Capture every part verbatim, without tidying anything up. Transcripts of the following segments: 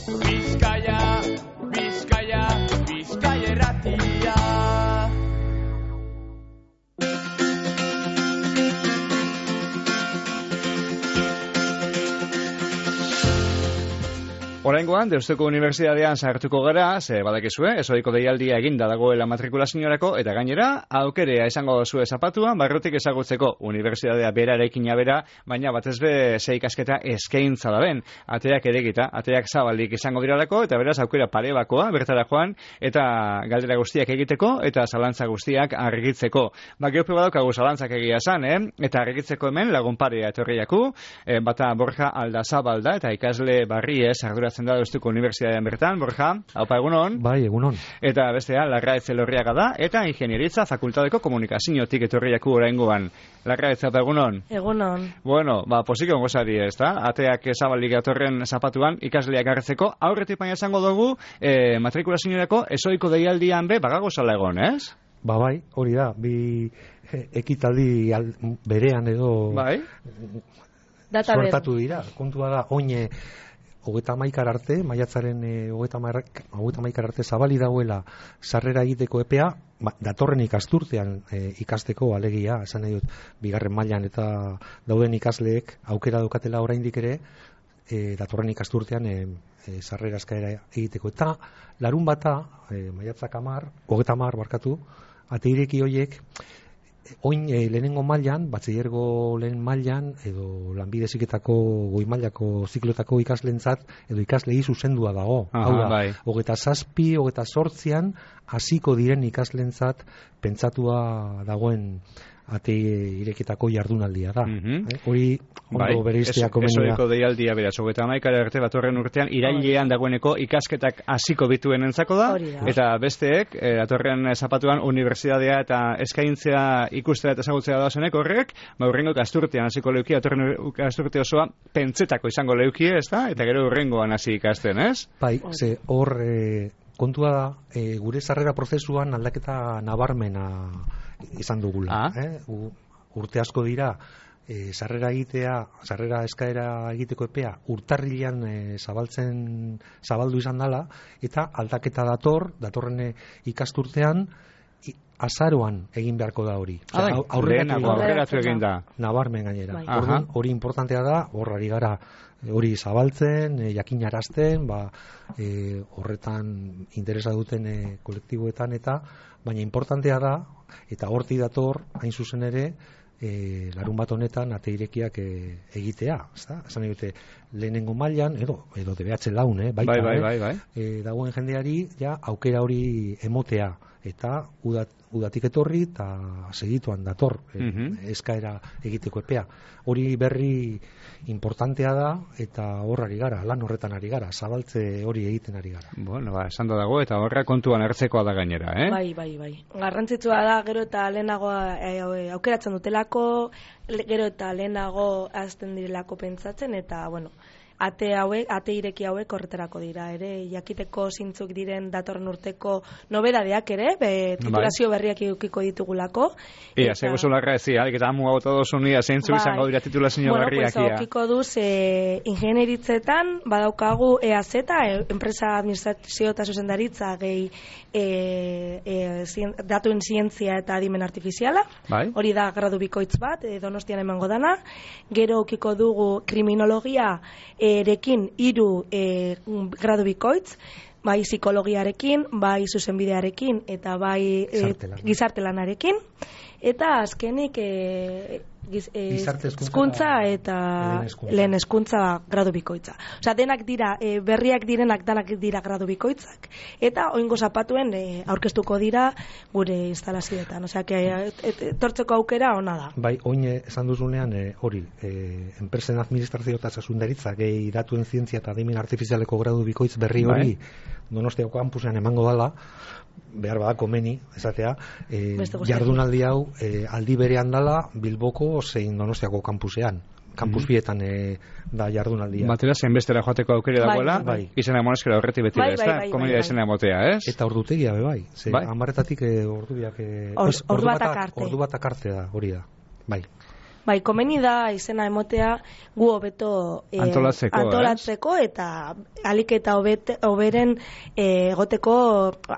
Bizkaia, Bizkaia, Bizkaia irratia. Oraingoan, Deustuko Unibertsitatean sartuko gara, ze badakizue, ezoiko deialdia eginda dagoela matrikulazioarako, eta gainera, aukerea izango duzue zapatuan, barrutik ezagutzeko Unibertsitatea berarekina bera, baina batez be ze ikasketa eskaintza da ben. Ateak eregita, ateak zabalik izango diralako, eta beraz aukera pare bakoa, bertara joan, eta galdera guztiak egiteko, eta zalantza guztiak argitzeko. Ba, geope badaukagu zalantzak egia zan, eh? Eta argitzeko hemen lagun parea etorriaku, eh, bata Borja Aldazabalda, eta ikasle barriez ardura da Deustuko Unibertsitatean bertan, Borja, haupa egunon. Bai, egunon. Eta bestea, Larraetxe Lorriaga da, eta Ingenieritza Fakultateko Komunikaziotik etorriaku oraingoan. Larraetxe, haupa egunon. Egunon. Bueno, ba, posiko gozari ez da, ateak zabalik atorren zapatuan ikasleak hartzeko, aurretik baina esango dugu, eh, matrikulazioarako ezoiko deialdian be, bagago zala egon, ez? Ba, bai, hori da, bi ekitaldi al, berean edo bai. Suertatu dira, kontua da, oine hogeita hamaikar arte, maiatzaren e, hogeita hamaikar arte zabali dagoela sarrera egiteko epea, ba, datorren ikasturtean e, ikasteko alegia, esan nahi dut, bigarren mailan eta dauden ikasleek aukera daukatela oraindik ere, e, datorren ikasturtean e, e, sarrera eskaera egiteko. Eta larun bata, e, maiatzak hamar, hogeita hamar barkatu, ate ireki hoiek, oin e, lehenengo mailan, batxillergo lehen mailan, edo lanbide heziketako goi mailako zikloetako ikaslentzat, edo ikaslei zuzendua dago. Aha, hau da, bai. hogeta zazpi, hogeta zortzian, hasiko diren ikaslentzat pentsatua dagoen ate ireketako jardunaldia da. Mm-hmm. eh? Hori ondo bai. bereiztea komeni da. Ezoiko deialdia beraz, hogeita hamaikara arte datorren urtean, irailean dagoeneko ikasketak hasiko bituen entzako da, da, eta besteek, eh, datorren zapatuan unibertsitatea eta eskaintzea ikustera eta ezagutzea da zenek horrek, ba, urrengo ikasturtean hasiko leuki, datorren ikasturte osoa pentsetako izango leuki, ez da? Eta gero urrengoan hasi ikasten, ez? Bai, ze hor e, kontua da, e, gure sarrera prozesuan aldaketa nabarmena izan dugula. Ah. Eh? U, urte asko dira, e, sarrera egitea, sarrera eskaera egiteko epea urtarrilean e, zabaltzen, zabaldu izan dela, eta aldaketa dator, datorren ikasturtean, i, azaroan egin beharko da hori. Ah, bai. Aurreratu, aurreratu egin da. Nabarmen gainera. Bai. Orduan, hori importantea da, horrari gara hori zabaltzen, e, jakinarazten, ba, e, horretan interesa duten e, kolektiboetan eta, baina importantea da, eta horti dator, hain zuzen ere, e, larun bat honetan ate irekiak e, egitea, ezta? Esan nahi dute, lehenengo mailan, edo, edo D B H laun, eh? Baita, bai, bai, eh? bai, bai. E, dagoen jendeari, ja, aukera hori emotea, eta udat, udatik etorri eta segituan dator e, Mm-hmm. eskaera egiteko epea. Hori berri importantea da eta horrari gara, lan horretan ari gara, zabaltze hori egiten ari gara. Bueno, ba, esan da dago eta horra kontuan hartzekoa da gainera, eh? Bai, bai, bai. Garrantzitsua da gero eta lehenago e, aukeratzen dutelako, le, gero eta lehenago azten direlako pentsatzen eta, bueno, ate hauek, ate ireki hauek horretarako dira ere, jakiteko zintzuk diren datorren urteko nobedadeak ere, be, titulazio berriak edukiko ditugulako. Ia, eta... zego zularra ez, alik eta amu hau todos unia, zeintzuk bai. izango dira titulazio bueno, berriak. Bueno, pues, okiko duz, e, ingenieritzetan, badaukagu E A Z, e, enpresa administrazio eta zuzendaritza, gehi e, e, zien, datuen zientzia eta adimen artifiziala, bai. Hori da gradu bikoitz bat, e, Donostian emango dana, gero okiko dugu kriminologia, erekin hiru e, gradu bikoitz, bai psikologiarekin, bai zuzenbidearekin eta bai e, gizartelanarekin, eta azkenik e, giz, e, hezkuntza eta lehen hezkuntza gradu bikoitza. Osea, denak dira, e, berriak direnak danak dira gradu bikoitzak, eta oingo zapatuen e, aurkeztuko dira gure instalazioetan. Osea, etortzeko aukera ona da. Bai, oin esan duzunean e, hori, e, enpresen administrazio eta zuzendaritza gehi datuen zientzia eta adimen artifizialeko gradu bikoitz berri hori bai. Donostiako kampusean emango dala, behar bada komeni, esatea, e, jardunaldi hau e, aldi berean dala Bilboko zein Donostiako kampusean. Kampus mm-hmm. bietan e, da jardunaldia. Batera zenbestera joateko aukere bai, dagoela, bai. izena moneskera horretik beti bai, da, ez da? Bai, bai, Komedia bai, izena motea, ez? Eta ordutegia be bai. Ze, bai? Amarretatik e, ordubiak... E, Or, ordu batak arte. Ordu batak arte da, hori da. Bai. bai, komeni da izena emotea gu hobeto eh, antolatzeko, antolatzeko eta alik eta hobete, hoberen eh, egoteko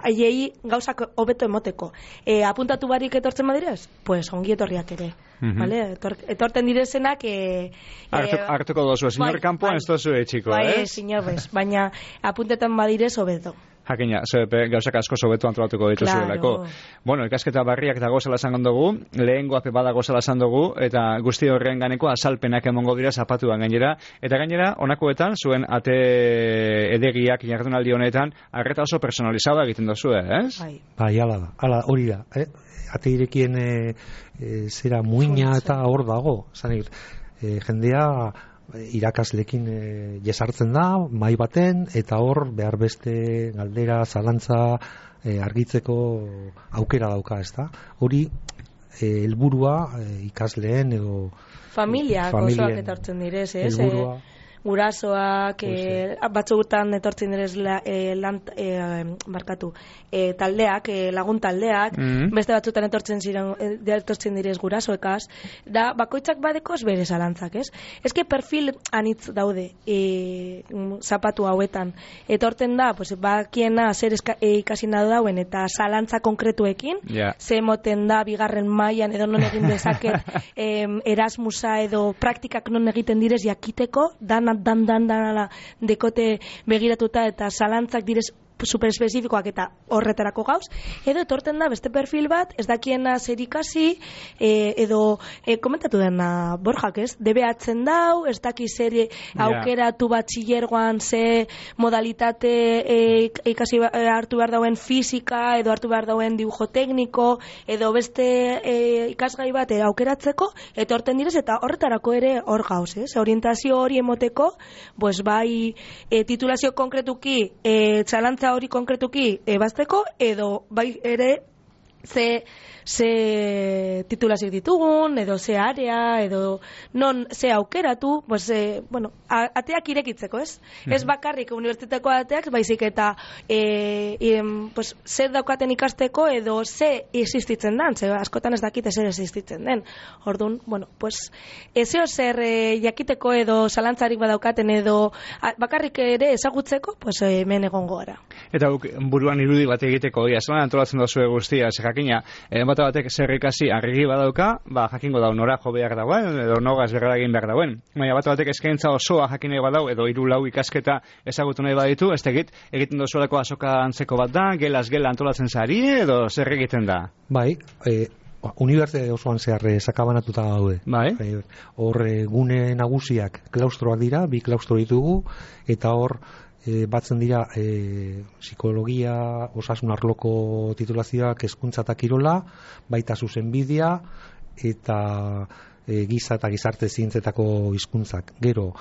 haiei gauzak hobeto emoteko. Eh, apuntatu barik etortzen badirez? Pues ongi etorriak ere. Mm-hmm. Vale? Etor, etorten direzenak eh, Artu, eh, hartuko dozu, señor bai, Campoan bai, ez dozu etxiko, bai, eh? Bai, señor, bez, baina apuntetan badirez hobeto. Jakina, zepe gauzak asko sobetu antolatuko dituzuelako. Claro. Bueno, ikasketa barriak dago zela esan dugu, lehengo ape badago zela esan dugu, eta guzti horren ganeko azalpenak emongo dira zapatuan gainera, eta gainera, honakoetan, zuen ate edegiak jardunaldi honetan, arreta oso personalizada egiten dozu, ez? Bai. Bai, ala da, ala hori da, eh? Ate irekien e, e, zera muina eta hor dago, zan e, jendea irakaslekin e, jesartzen da, mai baten, eta hor behar beste galdera, zalantza e, argitzeko aukera dauka, ez da? Hori e, helburua e, ikasleen edo familiak osoak etortzen direz, ez? Helburua gurasoak, e, batzugutan etortzen direz la, e, lan, e, markatu, e, taldeak, e, lagun taldeak, mm-hmm. beste batzutan etortzen ziren, e, etortzen direz gurasoekaz, da bakoitzak badekoz bere zalantzak, ez? Eske perfil anitz daude e, zapatu hauetan. Etorten da, pues, bakiena zer eska, e, ikasi nahi dauen eta zalantza konkretuekin, yeah. ze moten da bigarren mailan edo non egin dezaket e, Erasmusa edo praktikak non egiten direz jakiteko, dana dan dan dan dekote begiratuta eta zalantzak direz superespezifikoak eta horretarako gauz, edo etorten da beste perfil bat, ez dakiena zer ikasi, e, edo e, komentatu dena Borjak, ez? Debeatzen dau, ez daki zer aukeratu batxillergoan ze modalitate e, ikasi hartu behar dauen fisika, edo hartu behar dauen dibujo tekniko, edo beste e, ikasgai bat e, aukeratzeko, etorten direz, eta horretarako ere hor gauz, ez? Orientazio hori emoteko, pues bai e, titulazio konkretuki, e, txalantza hori konkretuki ebazteko, edo bai ere ze, ze titulazioak ditugun, edo ze area, edo non ze aukeratu, pues, e, bueno, ateak irekitzeko, ez? Mm-hmm. Ez bakarrik unibertsitateko ateak, baizik eta e, e, pues, zer daukaten ikasteko, edo ze existitzen den, ze askotan ez dakite zer existitzen den. Orduan, bueno, pues, ezeo zer e, jakiteko edo zalantzarik badaukaten, edo a, bakarrik ere ezagutzeko, pues, hemen egongo gara. Eta buruan irudi bat egiteko, ia, zelan antolatzen dozue guztia, ze jakina, e, bat batek zer ikasi argi badauka, ba, jakingo dau nora jo behar dauen, edo nogaz berra egin behar dauen. Baina bat batek eskaintza osoa jakin nahi badau, edo hiru lau ikasketa ezagutu nahi baditu, ez tegit, egiten dozuelako azoka antzeko bat da, gelaz gela antolatzen zari, edo zer egiten da? Bai, e, unibertsitate osoan zehar sakabanatuta daude. Bai. Hor e, gune nagusiak klaustroak dira, bi klaustro ditugu, eta hor E, batzen dira e, psikologia, osasun arloko titulazioak, hezkuntza eta kirola, baita zuzenbidea eta e, giza eta gizarte zientzetako hizkuntzak. Gero,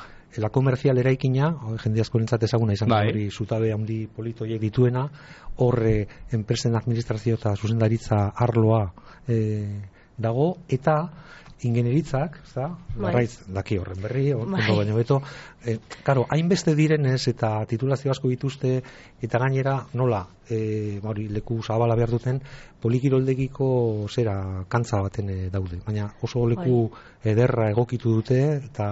la komerzial eraikina, jende askorentzat ezaguna izan bai. Hori zutabe handi politoiek dituena, horre enpresen administrazio eta zuzendaritza arloa e, dago, eta ingenieritzak, ezta? Larraiz daki horren berri, ondo baino beto. Eh, claro, hainbeste direnez eta titulazio asko dituzte eta gainera nola, eh, hori leku zabala behar duten, polikiroldegiko zera kantza baten e, daude, baina oso leku bai. Ederra egokitu dute eta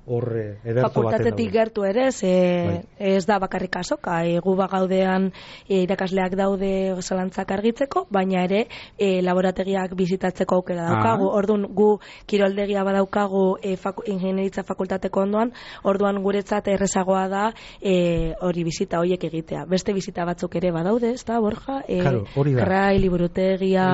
hor ederto baten daude. Fakultatetik gertu ere, ze, bai. Ez da bakarrik azoka, e, gu bagaudean e, irakasleak daude zalantzak argitzeko, baina ere e, laborategiak bizitatzeko aukera daukagu. Ah. Orduan gu kiroldegia badaukagu e, faku, ingenieritza fakultateko ondoan, orduan guretzat errezagoa da e, hori bizita horiek egitea. Beste bizita batzuk ere badaude, ez da, Borja? E, claro, hori da. Grai, liburutegia...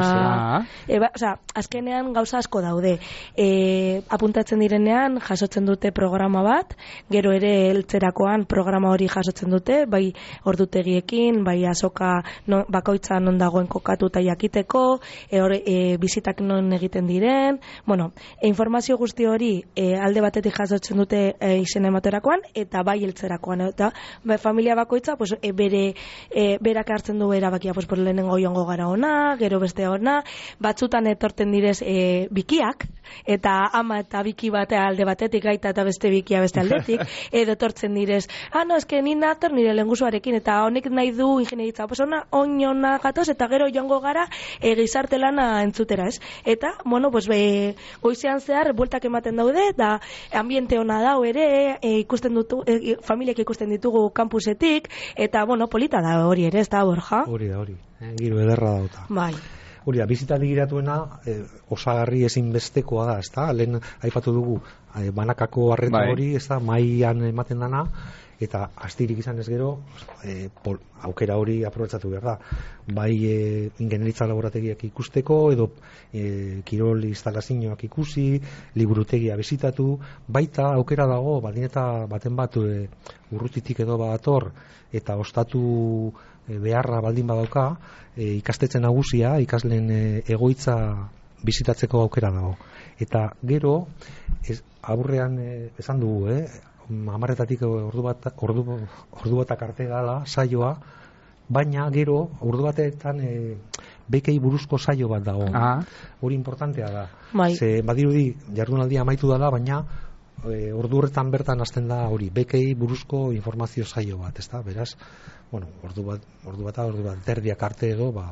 E, ba, oza, azkenean gauza asko daude. E, apuntatzen direnean jasotzen dute programa bat, gero ere heltzerakoan programa hori jasotzen dute, bai ordutegiekin, bai azoka no, bakoitza non dagoen kokatuta jakiteko, e, or, e, bizitak non egiten diren, bueno, e, informazio guzti hori e, alde batetik jasotzen dute e, izen ematerakoan, eta bai heltzerakoan, eta bai, familia bakoitza pues, e, bere e, berak hartzen du erabakia, pues, por lehenengo joango gara ona, gero beste ona, batzutan etorten direz e, bikiak, eta ama eta biki batea alde batetik gaita eta beste bikia beste aldetik, edo tortzen direz, ah, no, eske ni nator nire lengusuarekin, eta honek nahi du ingenieritza, pues ona, oinona gatoz, eta gero joango gara e, gizarte lana entzutera, ez? Eta, bueno, pues, be, goizean zehar, bueltak ematen daude, eta ambiente ona dau ere, e, ikusten dutu, e, familiak ikusten ditugu kampusetik, eta, bueno, polita da hori ere, ez da, Borja? Hori da, hori. Eh, giro ederra dauta. Bai. Hori da, bizita digiratuena eh, osagarri ezinbestekoa da, ez da? Lehen aipatu dugu, eh, banakako arreta bai. hori, ez da, mailan ematen dana, eta astirik izan ez gero, eh, pol, aukera hori aprobetxatu behar da. Bai eh, ingenieritza laborategiak ikusteko, edo eh, kirol instalazioak ikusi, liburutegia bizitatu, baita aukera dago, baldin eta baten bat eh, urrutitik edo bator, eta ostatu beharra baldin badauka, e, ikastetxe nagusia, ikasleen e, egoitza bizitatzeko aukera dago. Eta gero, ez, aurrean e, esan dugu, eh, hamarretatik ordu bat, ordu, ordu batak arte gala saioa, baina gero, ordu batetan e, bekei buruzko saio bat dago. Ah. Hori importantea da. Bai. Ze, badirudi, jardunaldia amaitu dela, baina e, ordu horretan bertan hasten da hori, bekei buruzko informazio saio bat, ezta? Beraz, bueno, ordu bat, ordu bat, ordu bat, terdiak arte edo, ba,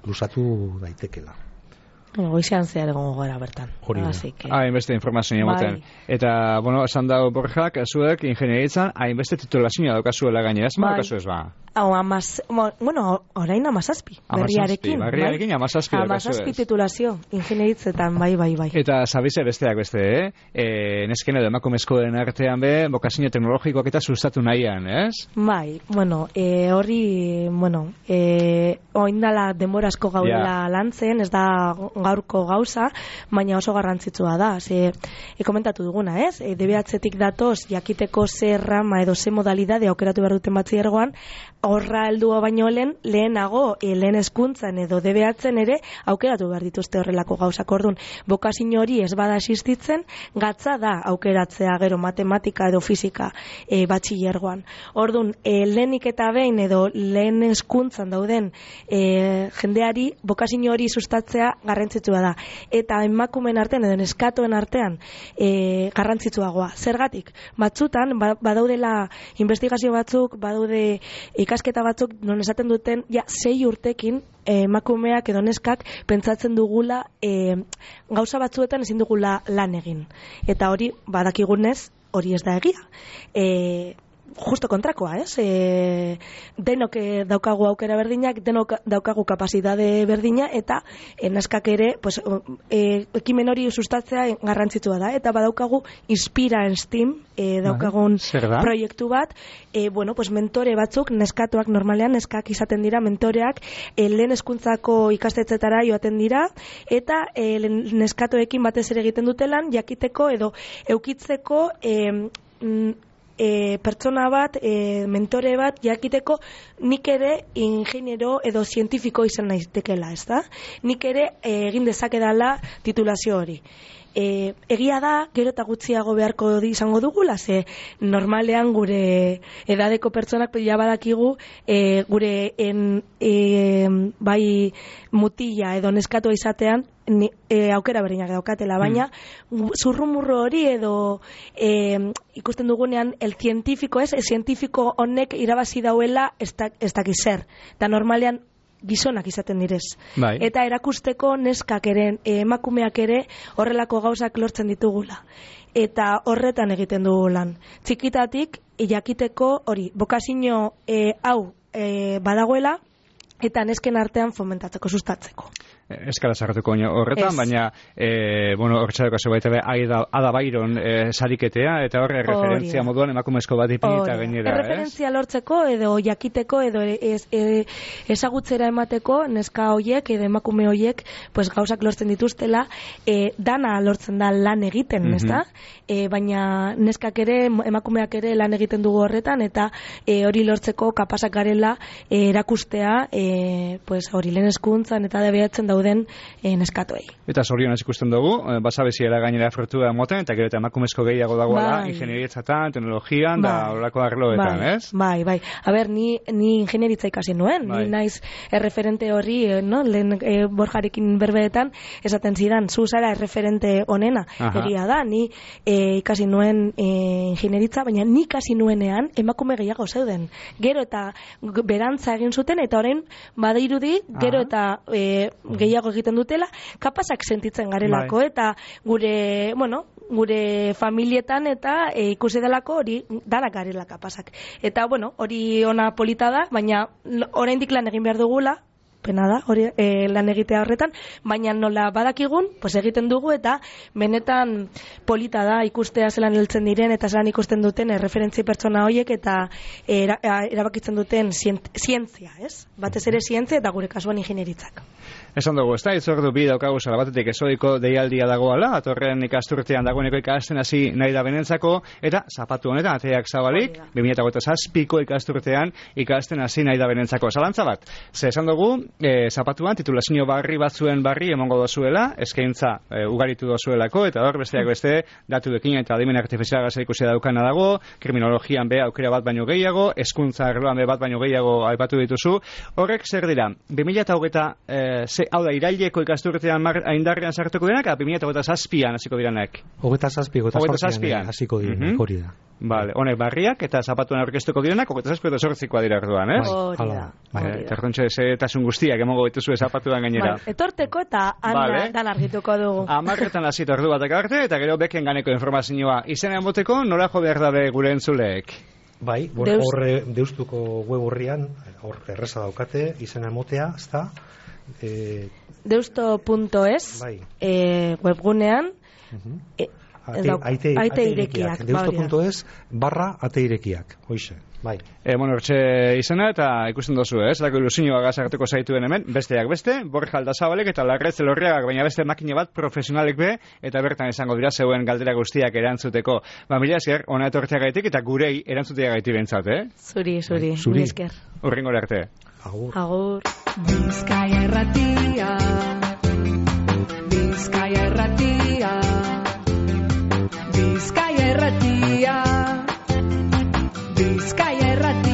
lusatu daitekela. Goizean zehar egongo gara bertan. Hori da. Que... Hainbeste informazioa ematen. Bai. Eta, bueno, esan dago Borjak, zuek ingenieritzan, hainbeste titulazioa daukazuela gainera, ez ma daukazu ez ba? Hau, amaz, bueno, orain amazazpi, berriarekin. Berriarekin amazazpi daukazu ez. Amazazpi titulazio, ingenieritzetan, bai, bai, bai. Eta zabize besteak beste, eh? E, nesken edo emakumezkoen artean be, bokazio teknologikoak eta sustatu nahian, ez? Bai, bueno, e, horri, bueno, e, oindala denborazko gaudela yeah. lantzen, ez da gaurko gauza, baina oso garrantzitsua da. Ze, e, komentatu duguna, ez? E, D B H-tik datoz, jakiteko ze rama edo ze modalidade aukeratu behar duten batxillergoan, horra heldua baino lehen, lehenago, e, lehen hezkuntzan edo D B H-en ere, aukeratu behar dituzte horrelako gauzak. Orduan, bokazio hori ez bada existitzen, gatza da aukeratzea gero matematika edo fisika e, batxillergoan. Orduan, e, lehenik eta behin edo lehen hezkuntzan dauden e, jendeari bokazio hori sustatzea garrantzitsua da. Eta emakumeen artean edo neskatoen artean e, garrantzitsuagoa. Zergatik? Batzutan, badaudela investigazio batzuk, badaude ikasketa batzuk, non esaten duten, ja, sei urtekin emakumeak edo neskak pentsatzen dugula e, gauza batzuetan ezin dugula lan egin. Eta hori, badakigunez, hori ez da egia. E, justo kontrakoa, ez? E, denok daukagu aukera berdinak, denok daukagu kapasitate berdina, eta e, neskak ere, pues, e, ekimen hori sustatzea garrantzitsua da, eta badaukagu Inspira en STEAM, e, daukagun proiektu bat, e, bueno, pues, mentore batzuk, neskatuak normalean, neskak izaten dira, mentoreak, e, lehen hezkuntzako ikastetzetara joaten dira, eta e, neskatoekin batez ere egiten dutelan, jakiteko edo eukitzeko e, E, pertsona bat, e, mentore bat, jakiteko nik ere ingeniero edo zientifiko izan naitekela, ez da? Nik ere e, egin dezakedala titulazio hori. E, egia da, gero eta gutxiago beharko izango dugula, ze normalean gure edadeko pertsonak ja badakigu e, gure en, e, bai mutila edo neskatua izatean ni, e, aukera berdinak daukatela, baina mm. zurrumurro hori edo e, ikusten dugunean el zientifiko ez, el zientifiko honek irabazi dauela ez dakiz zer, eta normalean gizonak izaten direz. Bai. Eta erakusteko neskak ere, emakumeak ere horrelako gauzak lortzen ditugula. Eta horretan egiten dugu lan. Txikitatik, jakiteko hori, bokazio e, hau e, badagoela, eta nesken artean fomentatzeko, sustatzeko. Eskala sartuko horretan, es. Baina e, bueno, horretzareko zeu baita Ada, Ada Byron e, sariketea, eta horre referentzia moduan emakumezko bat ipinita gainera, ez? Referentzia lortzeko edo jakiteko edo ez, e, ezagutzera emateko neska hoiek edo emakume hoiek pues, gauzak lortzen dituztela, e, dana lortzen da lan egiten, mm-hmm. ezta? E, baina neskak ere, emakumeak ere lan egiten dugu horretan, eta e, hori lortzeko kapasak garela e, erakustea e, pues, hori lehen hezkuntzan eta debeatzen dauden e, neskatoei. Eta zorionez ikusten dugu, eh, basabeziera gainera frutua moten, eta gero eta emakumezko gehiago dagoela, bai. ingenieritzetan, teknologian, bai. da horrelako arloetan, bai. ez? Bai, bai. A ber, ni, ni ingenieritza ikasi nuen, bai. ni naiz erreferente horri, eh, no? Lehen eh, Borjarekin berbeetan, esaten zidan, zu zara erreferente onena, Aha. egia da, ni eh, ikasi nuen eh, ingenieritza, baina ni ikasi nuenean emakume gehiago zeuden. Gero eta berantza egin zuten, eta orain badirudi, gero eta e, gehiago egiten dutela, kapasak sentitzen garelako, bai. eta gure, bueno, gure familietan eta e, ikusi delako hori danak garela kapasak. Eta, bueno, hori ona polita da, baina oraindik lan egin behar dugula, pena da, hori e, lan egitea horretan, baina nola badakigun, pues egiten dugu, eta benetan polita da ikustea zelan heltzen diren, eta zelan ikusten duten erreferentzi pertsona horiek, eta era, erabakitzen duten zientzia, ez? Batez ere zientzia, eta gure kasuan ingenieritzak. Esan dugu, ez da, itzordu bi daukagu zara batetik ezoiko deialdia dagoala, atorren ikasturtean dagoeneko ikasten hasi nahi da benentzako, eta zapatu honetan, ateak zabalik, bi mila hogeita zazpiko ikasturtean ikasten hasi nahi da benentzako. Zalantza bat, ze esan dugu, e, zapatuan titulazio barri batzuen barri emongo dozuela, eskaintza e, ugaritu dozuelako, eta hor besteak beste, datu dekin eta adimen artifiziala ikusi daukana dago, kriminologian be aukera bat baino gehiago, hezkuntza arloan be bat baino gehiago aipatu dituzu. Horrek zer dira, bi mila hogeita hau da, iraileko ikasturtean indarrean sartuko direnak, eta bi mila hogeita zazpian hasiko direnak. Hogeita zazpi, hogeita zazpian hasiko direnak, hori da. Vale, honek barriak eta zapatuan aurkeztuko direnak, hogeita zazpi eta zortzikoa dira orduan, ez? Hori da. Tertontxe etasun guztiak emongo dituzu zapatuan gainera. Etorteko eta han dan argituko dugu. Amarretan hasita ordu batek arte, eta gero beken ganeko informazioa. Izena emoteko, nola jo behar dabe gure entzuleek? Bai, horre deustuko web horrian, hor erreza daukate, izena emotea, ez da? Eh, deusto punto es bai. eh, webgunean uh-huh. eh, aite, aite irekiak deusto punto es barra ate irekiak hoize bai. E, bueno, hortxe izena eta ikusten dozu, ez? Lako ilusioa gazartuko zaituen hemen, besteak beste, Borja Aldazabalek eta Larretz Elorriagak, baina beste makine bat profesionalek be, eta bertan izango dira zeuen galdera guztiak erantzuteko. Ba, mila esker, ona etortzeagaitik eta gurei erantzuteagaiti bentsat, eh? Zuri, zuri, bai, zuri. Esker. Urrengora arte. Agur. Agur. Bizkaia erratia, Bizkaia erratia, Bizkaia erratia, Bizkaia erratia.